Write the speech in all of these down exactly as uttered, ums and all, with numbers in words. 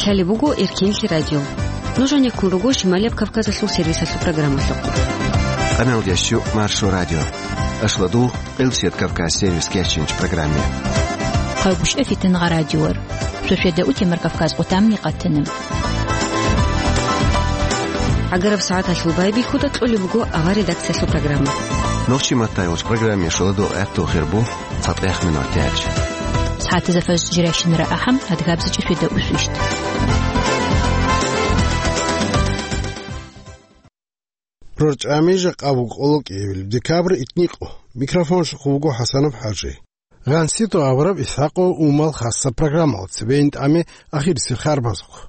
Гьале буго Эркенлъи радио. Нуж гӀенеккун руго Шималияб Кавказалъул сервисалъул программалъухъ. Къамелдящу Маршо радио. Ашладу, Къилсият Кавказ сервис кечинч программе. Хъайгъушев Фитнагъа радиор. Шошеда утемар Кавказ къутамни къатана. ГӀагараб сагӀаталъул байбихьуда кьолеб буго авар редакциялъул программа. Нохчи маттайолч программе шоладу гӀатту хирбу. ЦатӀех минутач. СагӀатазда фажр жирайщинара ахӀам, адгабзичӀи шведа усвищт. РорчӀами жакъа буго къоло кӀиявил декабрь итникъо. Микрофонлъухъ вуго ХӀасанов ХӀажи. Гъансито авараб Исхакъо умал хасса программал цебейин тӀаме ахирисел харбазухъ.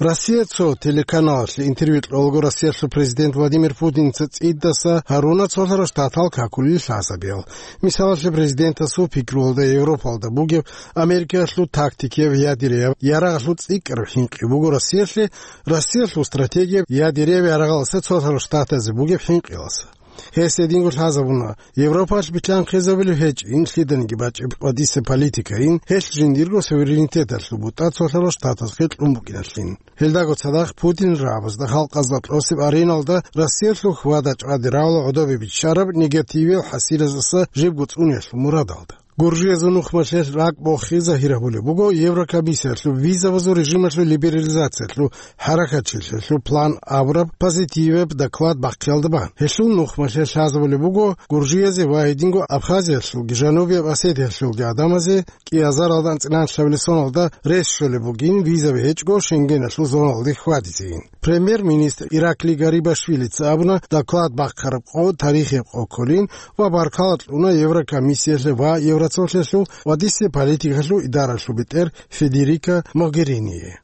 Россия цо телеканалалъе интервью кьолаго Россиялъул президент Владимир Путинца цӀидаса гьаруна цолъарал штатал какулел лъазабиял. Мисалалъе, президентасул пикруялда Европалда бугеб Америкалъул тактикияб ядерияв ярагъалъул цӀикӀкӀараб хӀинкъи буго Россиялъе, Россиялъул стратегияб ядерияв ярагъаласа цолъарал штатазе бугеб хӀинкъиласа. Гьес гьединго лъазабуна, Европалъ битлъан хъезабулев гьечӀин лъиданиги бачӀеб къватӀиса политикайин, гьелъ жиндирго суверенитеталъул бутӀа цолъарал штатазухъе кьун букӀиналъин. Гьелдаго цадахъ Путин рагӀабазда халкъазда кьосеб ареналда Россиялъул хьвада-чӀвади равла гӀодобе биччараб негативиял хӀасилаздаса жибго цӀуниялъул мурадалда. Гуржиязул нухмалъе ракӀ бохи загьир гьабулеб буго Еврокомиссиялъул визабазул режималъул либерализациялъул хӀаракатчилъиялъул план абураб позитивияб доклад бахъиялда бан. Гьелъул нухмалъе лъазабулеб буго Гуржиязе ва гьединго Абхазиялъулги Жанубияб Осетиялъулги гӀадамазе кӀиазаралда анцӀила лъабилеб соналда рес щолеб бугин визаби гьечӀго Шенгеналъул зоналде хьвадизейин. Премьер-министр Ираклий Гарибашвилица абуна, доклад бахъараб къо тарихияб къо кколин ва баркала кьуна Еврокомиссиялъе ва Евроцолъиялъул къватӀиса политикалъул идаралъул бетӀер Федерика Могериние.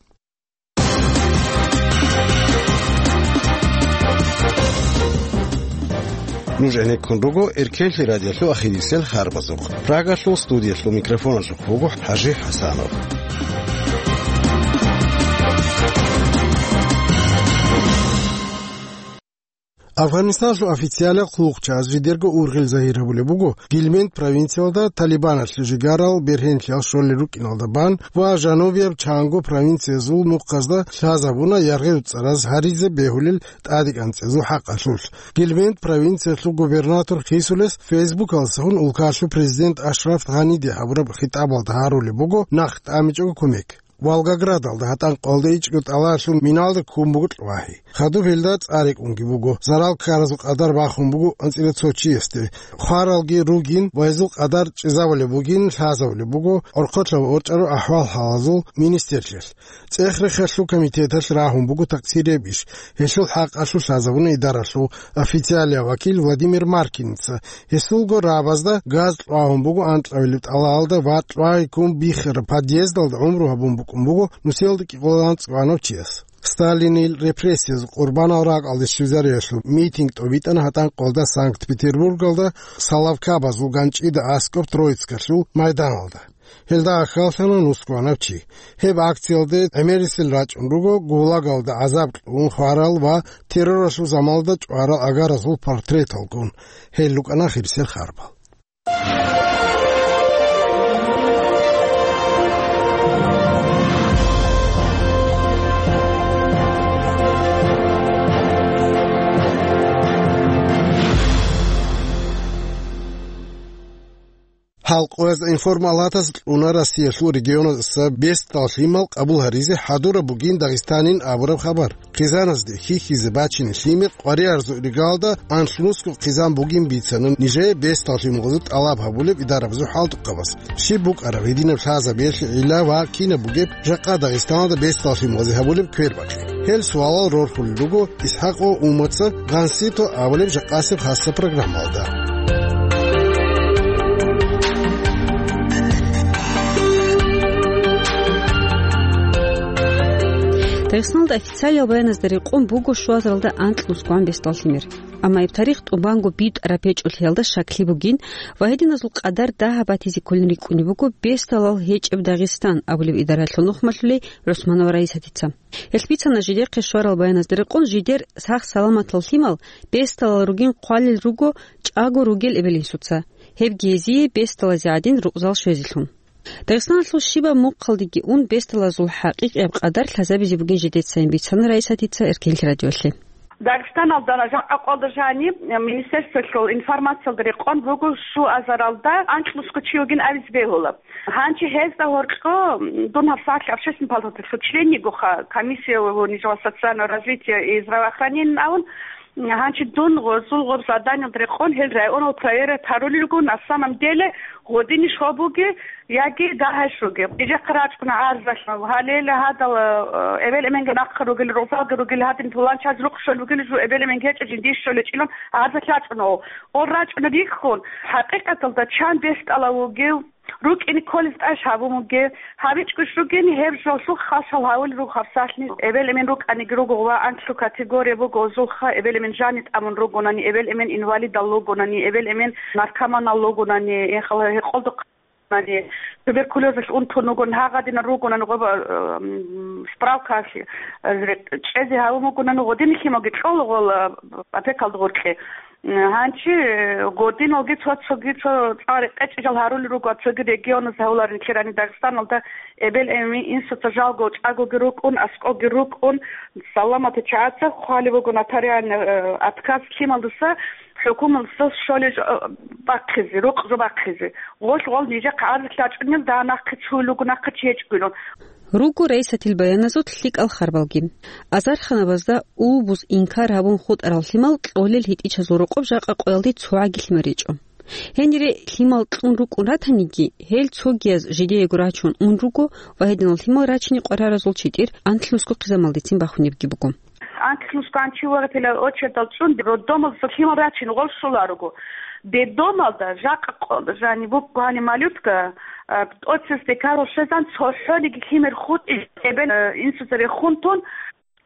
Нуж гӀенеккун руго Эркенлъи радиолъул ахирисел харбазухъ. Прагалъул студиялъул микрофоналъухъ вуго ХӀажи ХӀасанов. Афганистаналъул официалиял хъулухъчияз жидерго ургъел загьир гьабулеб буго Гильмент провинциялда Талибаналъе жигарал бергьенлъиялъ щолел рукӀиналда бан ва жанубияб чанго провинциязул нухъазда лъазабуна яргъи-уцӀараз гьаризе бегьулел тӀадегӀан цӀезул хӀакъалъулъ. Гильмент провинциялъул губернатор хисулес Фейсбукалдасаго улкалъул президент Ашраф Гъаниде гьабураб хитӀабалда гьарулеб буго нахъ тӀамичӀого кумек. Волгоградалда гьатӀан къолда ичӀго тӀалалъул миналда ккун буго кьвагьи. Хадуб гьелда цӀар рекӀунги буго, зарал ккаразул къадар бахун буго анцӀила цо чиясде. Хваралги ругин ва гьезул къадар чӀезабулеб бугин лъазабулеб буго орхъолъа ворчӀарал ахӀвал-хӀалазул министрлъиялъ. ЦӀех-рехалъул комитеталъ рагьун буго такъсирияб иш, гьелъул хӀакъалъулъ лъазабуна идаралъул официалияв вакил Владимир Маркиница. Гьесулго рагӀабазда газ кьвагьун буго анкьабилеб тӀалаялда ва кьвагьи ккун биххараб подъездалда гӀумру гьабун букӀун буго нусиялда кӀикъоялда анцӀгоанав чияс. Сталинил репрессиязул къурбанал ракӀалде щвезариялъул митинг тӀобитӀана гьатӀан къолда Санкт-Петербургалда Соловкабазул ганчӀида аскӀоб Троицкалъул майданалда. Гьелда ахьаллъана нусгоанав чи. Гьеб акциялде гӀемерисел рачӀун руго гулагалда гӀазаб кьун хварал ва терроралъул заманалда чӀварал агаразул портреталгун. Гьел рукӀана хирисел харбал. Гьал къоязда информалатаз кьуна Россиялъул регионазда бесдал лъимал къабул гьаризе хӀадураб бугин Дагъистанин абураб хабар. Хъизаназде хьихьизе бачине лъимер къваригӀарзул ригалда анлънусго хъизан бугин бицана нижее бесдал лъималазул тӀалаб гьабулеб идарабазул хӀалтӀухъабаз. Щиб букӀараб гьединаб лъазабиялъе гӀилла ва кинаб бугеб жакъа Дагъистаналда бесдал лъималазе гьабулеб квербакъи? Гьел суалал рорхулел руго ИсхӀакъо Умаца «Гъансито» абулеб жакъасеб хасса программалда. Дагъистаналда официалиял баяназда рекъон буго щуазаралда анкьнусгоан бесдал лъимер. Амма гьеб тарих тӀубанго битӀараб гьечӀолъиялда щаклъи бугин ва гьединазул къадар дагьаб батизе кколин рикӀкӀунеб буго бесдалал гьечӀеб Дагъистан абулеб идаралъул нухмалъулей ГӀусманова Раисатица. Гьелъ бицана жидехъе щварал баяназда рекъон жидер сах-саламатал лъимал бесдалал ругин хъвалел руго чӀаго ругел эбел-инсуца, гьебги гьезие бесдалазе гӀадин рукъзал щвезелъун. Дагъистаналъул щибаб мухъалдеги ун, бесдалазул хӀакъикъияб къадар лъазабизе бугин жидецайин, бицана Раисатица Эркенлъи радиолъе. Дагъистаналда жакъа къоялда жаниб министерствоялъул информациялда рекъон буго, щуазаралда анкьнусго чи вугин абизе бегьула. Гьанчи гьезда гьоркьо дун гьабсагӀат общественный палаталъул член йигоха, комиссия нижер социального развития и здравоохранения авун, гьанчи дун гъозул гъоб заданиялда рекъон гьел районал проверять гьарулел руго, на самом деле гъодине щиб бугеб яги дагьай щиб бугеб. Нижехъе рачӀуна гӀарзалъ, гьале гьадал, э, эбел-эменги нахъе ругел, рузалги ругел, гьадин пуланчаз рукъ щолеб бугел жо, эбел-эменги гьечӀо, жиндие щолеб гьечӀилан гӀарзалъ рачӀуна гьев. Гъол рачӀуна рихьун, хӀакъикъаталда чан бесдалав вугев, рукӀине кколез тӀаде гьабун бугеб, гьабичӀого щугин гьеб жолъухъ хал-шал гьавулел руго гьабсагӀат. Эбел-эмен рукӀаниги руго ва анкьлъу категория буго гъозулха, эбел-эмен жаниб тӀамун ругонани, эбел-эмен инвалидал ругонани, эбел-эмен наркоманал ругонани, гьекъолда туберкулезалъ унтун вугони, гьагъадинал ругонани гъоба, м, справкаялъ, э, чӀезе гьавун вугонани, гъодин лъималги кьола гъол, э, опекалда гъоркье. М, гьанчи, э, гъодиналги цо-цоги цо цӀар къечӀел гьарулел руго, цоги регионаз гьавуларин, нилъер гьаниб Дагъистаналда эбел-эмен инсуца жалго чӀагоги рукӀун, аскӀоги рукӀун, саламатал чагӀаца хъвалеб буго нотариальный, э, отказ лъималдаса, хӀукуматалдаса щолеб жо, э, бахъизе, рукъ жо бахъизе. Гъолъ гъол нижехъе гӀарзалъ рачӀунел, дагьа нахъе цуюл руго, нахъе чи гьечӀогилан. Руго Раисатил баяназул лъикӀал харбалги. Азарханабазда улбуз инкар гьабун хутӀарал лъимал кьолел гьитӀичазул рокъоб жакъа къоялде цогӀаги лъимал речӀо. Гьенире лъимал кьун рукӀун ратаниги, гьел цогияз жидеего рачун ун руго ва гьединал лъимал рачине къвараразул читӀир анкьнусго хъизамалдецин бахунебги буго. Анкьнусго гьанчи вугев гьел очередал чӀун, роддомалдаса лъимал рачин гъол щоларуго. Детдомалда жакъа къо-, жаниб буго гьаниб малютка, а, тӀоцес декарал щвезан цохӀониги лъимер хутӀи, эбел, а, инсуца рехун тун,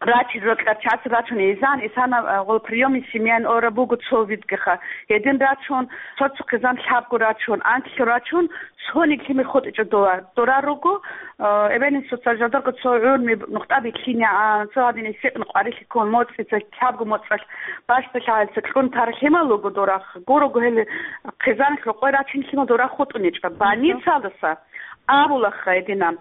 рачизе рокьа час рачун изан, исана, а, гъол приёмный семьяян ора буго цо видгиха. Гьедин рачун, цо-цо хъизан лъабго рачун, анкьго рачун, цониги лъимер хутӀичӀо дова. Дора руго, а, эбел-инсуца жадарго цо гӀурми нухда бихьинегӀан, цо гьадин гьесикьна къварилъи ккун, моцӀица, лъабго моцӀалъ бащдалъагӀалица кьун тарал лъимал руго дорахъ. Гурого гьел хъизан рокъой рачин лъимал дора хутӀунечӀо. Больницалдаса абулаха гьединан.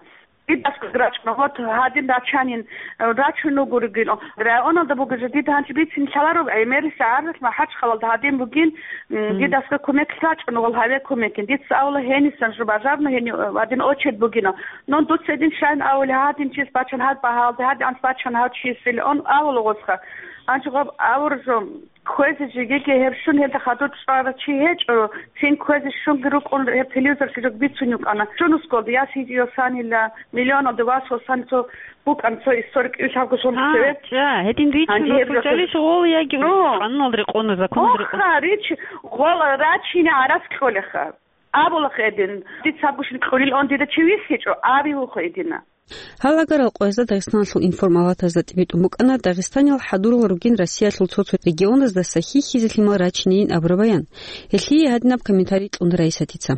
Дидасго рачӀуна, вот, гьадин рачанин, рачун вуго ругин. Районалда буго жо, дида гьанчи бицин лъаларо, э, мериса гӀарзалъ МахӀачхъалалда гьадин бугин, м, дидасго кумек рачӀуна, вал гьаве кумекин. Дица авула гьенисан жо бажарно, гьени, э, гьадин очередь бугина. Но дуца гьедин щайин авули, гьадин чис бачан гьад багьалде, гьадин анц бачан гьав чис, или он авула гъосха. Гьанчи гъоб авур жо. Кквезе жегеги гьеб щун гьелда хадур чӀварав чи гьечӀо, цин кквезе щунги рукӀун гьеб телевизорлъи жо бицун йукӀана. Щунусголда, я сидиосанила, миллионалда вас васан цо букӀан цо историк ил лъабго сон А, цеве. ча, гьедин ричун Гьанже гьеб рахъун жо чӀалищ гъол яги О! къануналда рекъон, законалда рекъон? Охха, рич, гъол рачине гӀарац кьолеха. Абулахъ гьедин, дица гьабгощин кьолил он дида чи вихьичӀо, абиухъ гьедина. Гьал агарал къоязда Дагъистаналъул информалатазда тӀибитӀун букӀана Дагъистанил хӀадурал ругин Россиялъул цо-цо регионаздаса хьихьизе лъимал рачинейин абураб баян. Гьелъие гьадинаб комментарий кьуна Раисатица.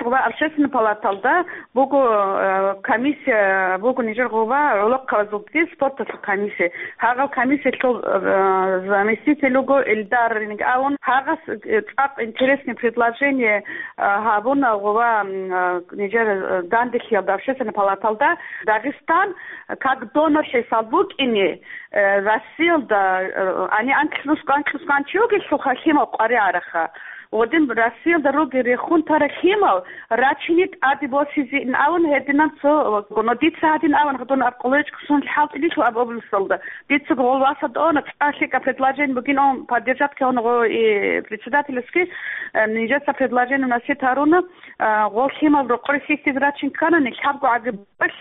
Ва общественный палаталда буго, э, комиссия буго нижер гъова гӀолохъабазулги спорталъул комиссия. Гьагъал комиссиялъул, э, заместитель вуго Эльдар Ринг авун, гьагъас, э, цӀакъ интересный предложение, э, гьабуна гъова, м, э, нижер, э, данделъиялда, общественный палаталда. Дагъистан как донор хӀисаб букӀине, э, Россиялда, э, гьаниб анкьнусго, анкьнусго гьанчи вугелъулха лъимал къваригӀараха. Гъодин Россиялда ругел рехун тарал лъимал рачине тӀаде босизеин авун гьединаб цо, но дица гьадин авун, гьадин аб къоло речӀго сон хӀалтӀилъул аб областалда. Дицаго гъол васадона цӀалъика предложение бугин он поддержать ккун гъо и председательский, э, нижеца предложение вносить гьаруна, э, гъол лъимал рокъор хьихьизе рачин кканани, лъабго гӀаги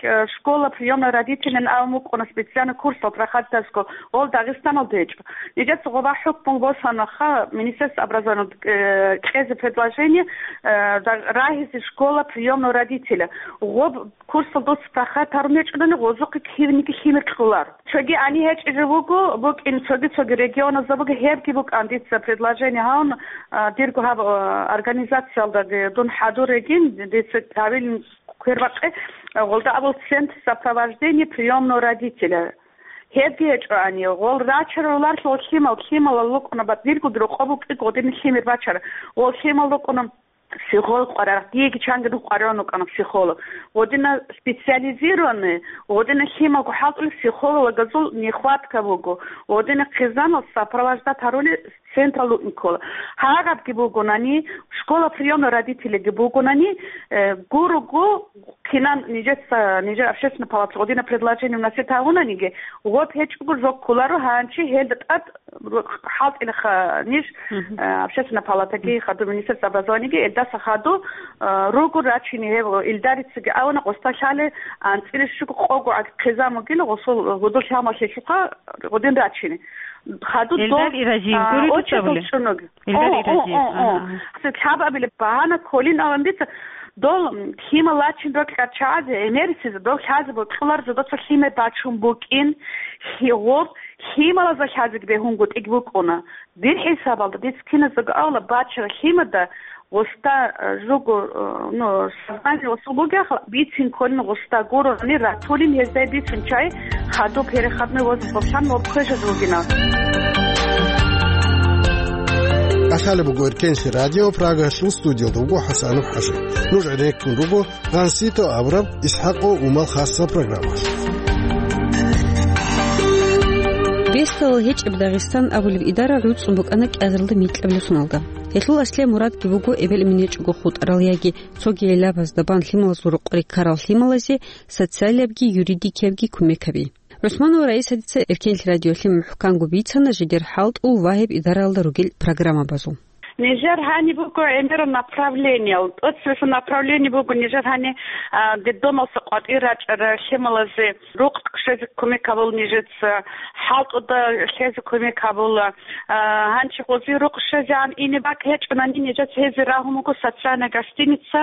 Э, школа приёмной родителей авун вукӀуна, специально курсал проходитасго, ол Дагъистаналда гьечӀо. Нижеца гъоба хӀукму босанаха, Министерство образования, э, кьезе предложение, э, да-, рагьизе школа приёмного родителя. Гъоб курсал дос проходит гьарун гьечӀони, гъозухъе кивниги лъимер кьолар. Цоги гьаниб гьечӀизе вуго, букӀин цоги-цоги регионазда буго, гьебги букӀан дица предложение гьавун, а, дирго гьаб, а, организациялдаги дун хӀадур регин, дица гьавилин квербакъи, гъолда абул центр сопровождения приёмного родителя. Гьебги гьечӀоани, гъол рачарулар гъол лъимал, лъималал рукӀуна, бат диргоги рокъоб букӀи гъодин лъимер бачара. Гъол лъимал рукӀуна психолог къваригӀарал, диеги чанги нух къваригӀун вукӀана психолог. Гъодина специализированный, гъодина лъималго хӀалтӀулел психологазул нехватка буго. Гъодина хъизамал сопровождать гьарулел централда вукӀин ккола. Гьагабги бугонани, школа приёмных родителейги бугонани, э, гурого кинан нижеца, нижер общественная палата гъодина предложение вносить гьавунаниги, гъоб гьечӀого жо кколаро гьанчи гьелда тӀад хӀалтӀилаха ниж, Мгм. э, общественная палатаги, хадуб министерство образованиеги, элдаса хаду, э, руго рачине гьев илдарицаги авана, къоста лъале анцӀила щуго къого гӀаг хъизан бугила, гъосул гьудул лъамалъе лъухъа гъодин рачине. Хаду Эльдар дол, Иразиев а, гури очередь дуцабули? Чунуги. Эльдар О, о, Иразиев. о, о. Ага, ага. Хъси лъабабилеб багьана кколин аван дица, дол, м, лъимал лачин рокьарчагӀазе, эмерисез, дол лъазе бокьуларза доца лъимер бачун букӀин, гьигъуб, лъималазда лъазеги бегьунгутӀиг букӀуна. Дир хӀисабалда, дица киназдаго авла бачара лъимада гъоста, э, жуго, э, ну, сознание гъосул бугехъа, бицин кколин гъоста гурони ратулин гьездай бицун чай, хаду переходной возраст бобщан ва кквежаз вугина. Ахалеб буго Эркенлъи радио, Прагасул студиялда вуго ХӀасанов ХӀажи. Нуж гӀереккун руго Гъансито абураб ИсхӀакъо Умал хасса программалъ. Бесдалал гьечӀеб Дагъистан абулеб идара гӀуцӀун букӀана кӀиазаралда микьабилеб соналда. Гьелъул аслияб мурадги буго эбел-эмен гьечӀого хутӀарал яги цоги гӀелабазда бан лъималазул рокъоре ккарал лъималазе социалиябги юридикиябги кумек гьаби. ГӀусманова Раисатица Эркенлъи радиолъе мухӀканго бицана жидер хӀалтӀул ва гьеб идаралда ругел программабазул. Нижер гьаниб буго гӀемерал направлениел. ТӀоцебесеб направление буго нижер гьани, а, детдомалса къватӀир рачӀарал лъималазе рукъ щвезе кумек гьабула нижеца, хӀалтӀуда лъезе кумек гьабула. А, гьанчи гъози рукъ щвезегӀан ине бакӀ гьечӀонани, нижеца гьезие рагьун буго социальная гостиница.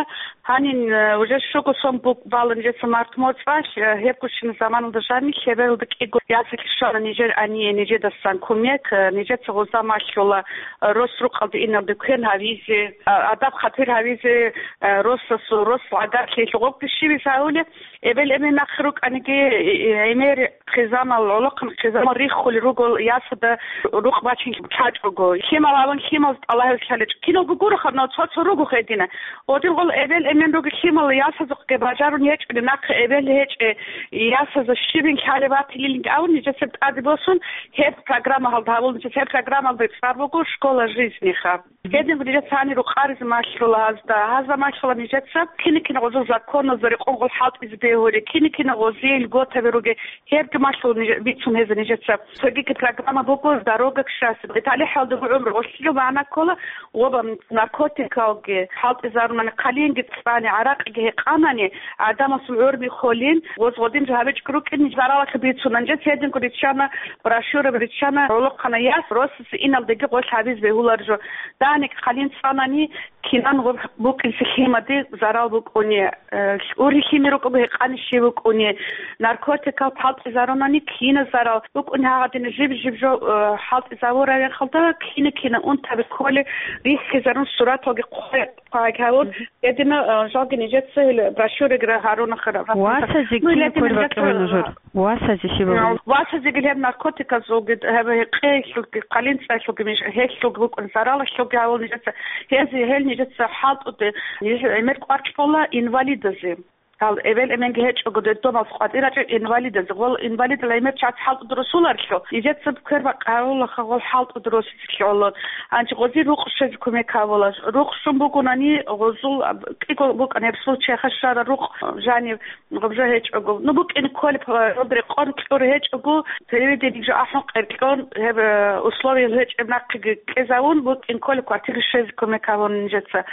Гьанин, э, уже щуго сон бук-, бала нижеца март моцӀалъ, э, гьебгощин заманалда жанни лъебералда кӀиго ясалъ щвана нижер гьание нижедасан кумек, э, нижеца гъоза малъула, э, рос рукъалде иналде квен гьавизе, а, адаб-хатир гьавизе, э, росасул, рос гӀадатлъи гъобги щибиз гьавулеб, эбел-эмен нахъе рукӀаниги, э, э, гӀемер хъизамал, гӀолохъан хъизамал риххулел руго ясада рукъ бачин лъачӀого. Лъимал аван лъимал тӀалаб гьабизе лъалечӀо. Киналго гуро хаб, но цо-цо руго гьедина. Гъодин гъол эбел-эмен ругел лъимал ясазухъе бажарун гьечӀони, нахъе эбел гьечӀеб ясазда щибин лъалеб батилилинги авун, нижецаб тӀаде босун, гьеб программа гьалда гьабул, нижеца гьеб программалда цӀар буго «Школа жизни»-ха. Гьедин нижеца гьанир рукъаризе малъула гьазда. Гьазда малъула нижеца кина-кина гъозул законазда рекъон гъол хӀалтӀизе бегьулел, кина-кина гъозие льготаби ругел, гьебги малъула ниж-, бицун гьеза нижеца. Цогиги программа буго «Дорога к счастью». ИталихӀалда гӀумру гъолъиги магӀна ккола, ва наркотикалги хӀалтӀизарунани, хъалинги цӀани, гӀаракъиги гьекъанани, гӀадамасул гӀурби холин, гъоз гъодин жо гьабичӀго рукӀин, заралалъе бицунан. Нижеца гьединго риччана, брошюра риччана, гӀолохъана яс, росасе иналдеги гъолъ гьабизе бегьулар жо. Дагьник хъалин цӀанани, кинан гъоб букӀинси лъимаде зарал букӀуни, э, ургьи лъимер рукӀого гьекъани щиб букӀуни, наркотикал хӀалтӀизарунани киназ зарал букӀуни, гьагъадина жиб-жиб жо, э, хӀалтӀизавураб мехалда кина-кина унтаби кколел риххизарун сураталги хъвай-, хъвай гьавун, Мгм. гьедина, э, жалги нижеца гьел брошюраги гьаруна хара. Васазе Ну, кин ледина кколеб нижеца бакӀалда нужер? Васазе щиб бакӀалда? Васазеги гьеб наркотиказулги, гьеб гьекъеялъулги, хъалин цӀаялъулги, миш-, гьелъулги букӀун, заралалъулги гьавул нижеца. Гьези гьел нижеца хӀалтӀуде, ниж гӀемер кӀвар кьола инвалидазе. Гьал эбел-эменги гьечӀого, детдомалъ къватӀир рачӀел инвалидазе. Гъол инвалидал гӀемер чияс хӀалтӀуд росуларлъу, нижеца квербакъ гьавулаха гъол хӀалтӀуд росизе лъолон. Гьанчи гъози рукъ щвезе кумек гьавула. Рукъ щун бугонани, гъозул, кӀиго букӀана гьеб случайха щвара рукъ жанив, гъаб жо гьечӀого. Ну, букӀин кколеб, гьоб рекъон кьур гьечӀого, телевидениеги жо ахӀун къеркьон, гьеб, э, условиял гьечӀеб нахъеги кьезавун, букӀин кколеб квартире щвезе кумек гьабун нижеца.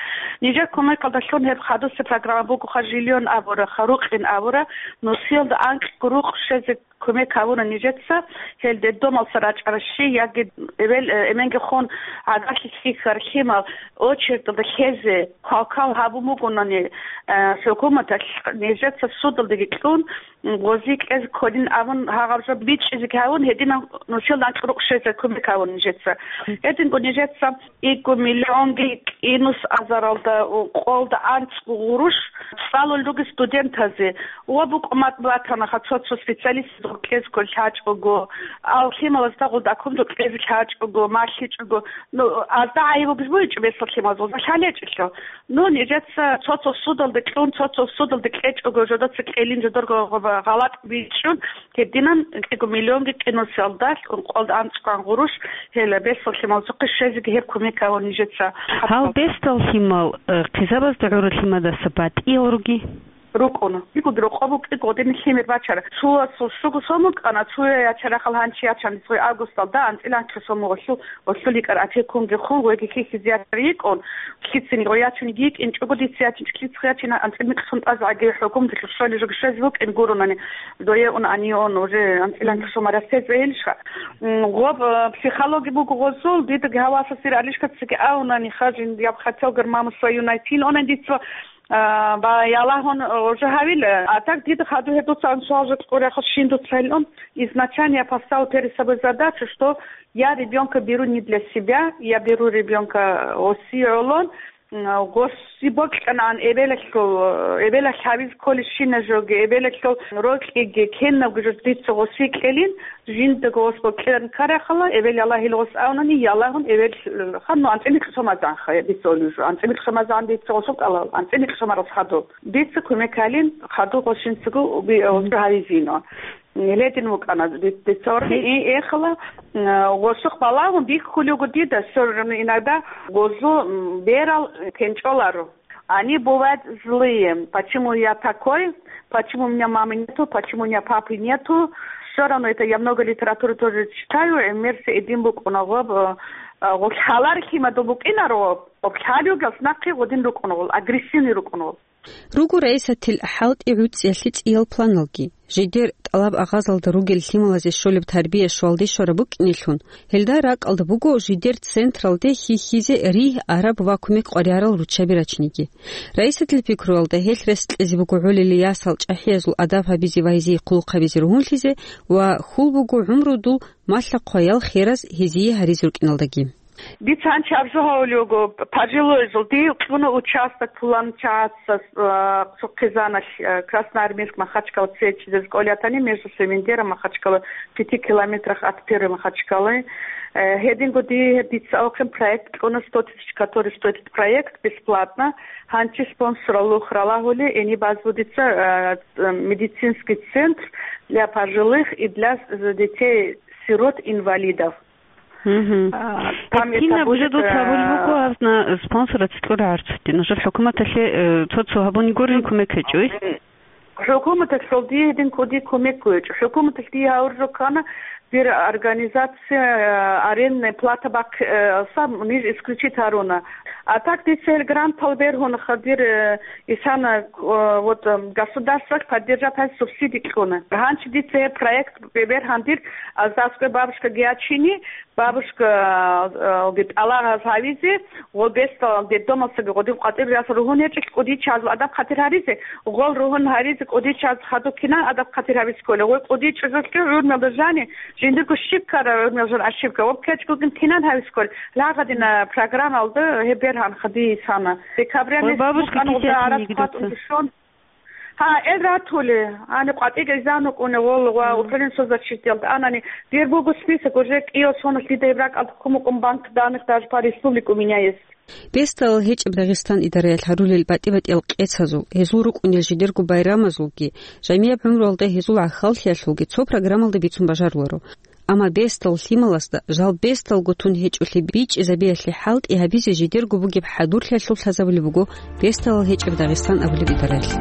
Нижер кумекалдалъун гьеб хадусе программа бугоха, жильон абура, ха, рукъин абура, нусиялда анкьго рукъ щвезе кумек гьавуна нижеца, гьел детдомалса рачӀаращи, яги эбел, э, эменги хун гӀадатлъи лъихьар лъимал очередалда лъезе квалквал гьабун бугонани, э, хӀукуматалъ, нижеца судалдаги кьун, гъози кьезе кколин абун, гьагъаб жо бичӀчӀизеги гьавун, гьединав нусил анкь рукъ щвезе кумек гьавун нижеца. Гьединго нижеца Икку миллионги кӀинус азаралда, къолда анцӀго гъурущ цӀалулел ругел студентазе ва букӀумат батанаха цо-цо специалистазда кьезго лъачӀого, ал лъималазда гъуда кумдо кьезе лъачӀого, малъичӀого, ну, азда гӀайиб бугеб бугечӀо бесдал лъималаз, гъуза лъалечӀелъул. Ну, нижеца цо-цо судалде кьун, цо-цо судалде кьечӀого, жодоца кьелин, жодорго гъ-, гъалатӀ бичӀчӀун, гьединан кӀиго миллионги кьиносе алдалъ, ункъоялда анцӀгоан гъурущ, гьела бесдал лъималазухъе щвезеги гьеб кумек гьабун нижеца. Гьал бесдал лъимал, э, хъизабазда гӀурал лъимадаса батӀиял руги? РукӀуна. Дигуги рокъоб букӀин гъодинаб лъимер бачара. Цоясул щуго сом букӀана, цоя ячарахъал гьанчи ячан, цо августалда анцӀила анлъго сом гъолъул, гъолъул йикӀар опекунги хун, гъойги хьихьизе ячар йикӀун, лъицин гъой ячун йикӀинчӀого дица ячинчӀо лъицха ячин анцӀила микьсун тӀазагӀаги хӀукумдалъ щвалеб жо щвезе букӀин гуронани, дое ун гьанив ун уже анцӀила анлъго сом растезе гьелищха. М, гъоб, э, психологи буго гъозул, дидаги гьавасасир алишкацаги авунани хажин, я бы хотел, говорит, маму свою найти, но она дица А, ва ялагьун, э, уже гьавила. А так дида хадур гьедуца анцӀила жо кьурахъа щин дуца гьелъун. Изначально я поставил перед собой задачу, что я ребёнка беру не для себя, я беру ребёнка оси гӀолон, м, гъоси бокьанан эбелалъул, э, эбелалъ гьавизе кколебщина жоги, эбелалъул рокьиги, кенабго жо дица гъоси кьелин, Жиндаго гъос бокьараб ккарахъала, эбел Аллагьил гъос авнани, ялагьун эбел, э, ханну анцӀила микьсумазанха, дица олижу. АнцӀила микьсумазан дица гъосул кӀалал, анцӀила микьсумарас хадуб. Дица кумек гьалин, хадуб гъос жинцаго уби-, э, гъосу гьавизино. Ледин вукӀана ди-, дица орги, и, эхала, э, гъосухъ балагьун бихьулего дида, всё равно иногда гъозу, м, берал, э, кенчӀоларо. Они бывают злые. Почему я такой? Почему у меня мамы нету? Почему у меня папы нету? Всё равно это я много литературы тоже читаю. ГӀемерси эдин букӀуна гъоб, э, э, гъоб лъалар лъимадул букӀинаро, гъоб лъалиугас нахъе гъодин рукӀуна гъол, агрессивный рукӀуна гъол. Руго Раисатил хӀалтӀи гӀуцӀиялъе цӀиял планалги. Жидер тӀалаб-агъазалда ругел лъималазе щолеб тарбия-щвалде щвараб букӀинелъун, гьелда ракӀалда буго жидер централде хьихьизе ригь араб ва кумек къваригӀарал руччаби рачиниги. Раисатил пикруялда гьелъ рес кьезе буго гӀолилей ясал чӀахӀиязул адаб гьабизе ва гьезие хъулухъ гьабизе ругьунлъизе ва хьул буго гӀумрудул малъа-хъваял хераз гьезие гьаризе рукӀиналдаги. Дица гьанчи абжо гьавулев вуго, пожилойзул, дие кьуна участок пулан чагӀаца, э, цо хъизаналъ, э, Красноармейск, Махачкала цечидез кӀолятани между Семендером, Махачкала, в пяти километрах от первой Махачкалы. Э, гьединго дие дица авхъин проект кьуна сто тысяч, который стоит этот проект бесплатно. Гьанчи спонсорал лухралагьули, эни базбу дица, э, медицинский центр для пожилых и для, э, детей-сирот-инвалидов. Мгм. А, там это кинаб уже будет, дуца гьабулеб э, буго, гьазна спонсораз кьура гьарцутин. Нужер хӀукуматалъе, э, цо-цо гьабуни гурин кумек гьечӀо, иш? ХӀукуматалъул дие гьедин кӀуди кумек гьечӀо. ХӀукуматалъ дие гьавуржо ккана, дир организация, э, арендная плата бахъ-, э, саб ниж исключить гьаруна. А так дица гьел грантал бергьун хадир, э, исана, э, вот, э, государствалъ поддержать гьаризе субсиди кьуна. Гьанчи дица гьеб проект бе-, бергьан дир, а, аскӀой бабушка гьечӀони, бабушка, э, ги тӀалаб гьабизе, гъо бесдал детдомалсаги гъодин къватӀир яс ругьун гьечӀелъ кӀудияз адаб хъатир гьаризе, гъол ругьун гьаризе кӀудияз хадуб кинан адаб хъатир гьабизе кколеб. Гъой кӀудияз чӀужулъги гӀурмалда жани, жиндирго щиб ккараб гӀурмал жан ошибка. Ва ккечӀого кинан гьабизе кколеб. Лагъадина программалда гьеб бергьан хадисана. Декабрялъ бабушка гъуда гьарат кисятинеги хатӀун дуца. Гьа, эл ратули, гьаниб къватӀиги изанукӀуни гъоло ва управление соцзащитиялда анани, дир буго список, уже кӀиго соналъ дида гьеб ракӀалда кумукъун банк данных даже по республике у меня есть. Бесдалал гьечӀеб Дагъистан идараялъ гьарулел батӀи-батӀиял къецазул, гьезул рукӀунел жидерго байрамазулги, жамияб гӀумруялда гьезул гӀахьаллъиялъулги цо программалда бицун бажаруларо. Амма бесдал лъималазда жал бесдалго тун гьечӀолъи бичӀчӀизабиялъе хӀалтӀи гьабизе жидерго бугеб хӀадурлъиялъул лъазабулеб буго Бесдалал гьечӀеб Дагъистан абулеб идараялъ.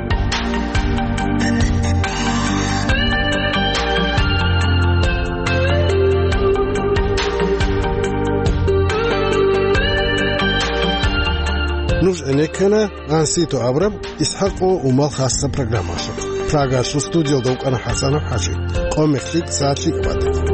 Нуж гӀенеккана Ансито абураб ИсхӀакъ ва Умал хасаб программалъухъ. Прагалъул студиялда вукӀана ХӀасанов ХӀажи. Къо-мех лъикӀ, сагӀат лъикӀ батӀи.